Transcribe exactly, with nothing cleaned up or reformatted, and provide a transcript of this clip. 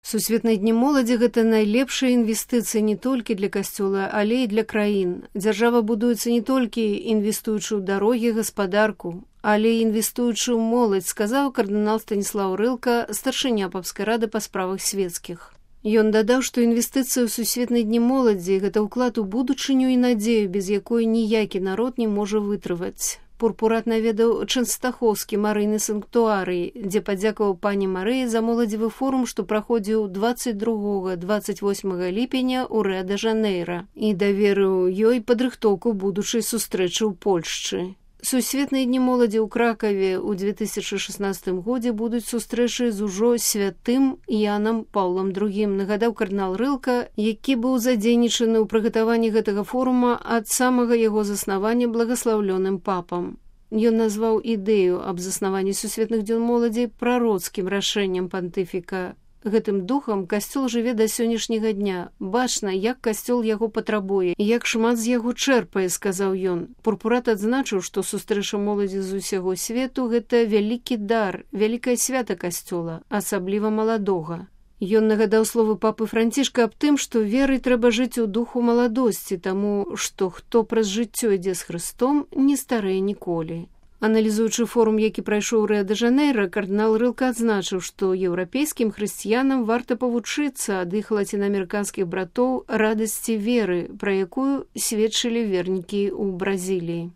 Сусветныя дні моладзі – гэта найлепшая інвестыцыя не толькі для касцёла, але і для краін. Дзяржава будуецца не толькі інвестуючы ў дарогі, гаспадарку, але і інвестуючы ў моладзь, сказаў кардынал Станіслаў Рылка, старшыня папскай рады па справах свецкіх. Ён дадаў, што інвестыцыя ў сусветныя дні моладзі – гэта ўклад у будучыню і надзею, без якой ніякі народ не можа вытрываць. Пурпурат наведаў Чэнстахоўскі марыйны санктуарый, дзе падзякаваў пані Марыі за моладзевы форум, што праходзіў дваццаць другога - дваццаць восьмага ліпеня ў Рыа-дэ-Жанэйра і даверыў ёй падрыхтоўку будучай сустрэчы ў Польшчы. Сусветныя дні моладзі ў Кракаве ў две тысячы шаснаццатым годзе будуць сустрэчы з ужо святым Янам Паўлам другім, нагадаў кардынал Рылка, які быў задзейнічаны ў прыгатаванні гэтага форума ад самага яго заснавання благаслаўлёным папам. Ён назваў ідэю аб заснаванні сусветных дзён моладзі прароцкім рашэннем пантыфіка. Гэтым духам касцёл жыве да сённяшняга дня. Бачна, як касцёл яго патрабуе, як шмат з яго чэрпае, сказаў ён. Пурпурат адзначыў, што сустрэча моладзі з усяго свету – гэта вялікі дар, вялікае свята касцёла, асабліва маладога. Ён нагадаў словы папы Францішка аб тым, што верай трэба жыць у духу маладосці, таму што хто праз жыццё ідзе з Хрыстом, не старэе ніколі. Аналізуючы форум, які прайшоў у Рыа-дэ-Жанэйра, кардынал Рылка адзначыў, што еўрапейскім хрысціянам варта павучыцца ад іх лацінаамерыканскіх братоў радасці веры, пра якую сведчылі вернікі ў Бразіліі.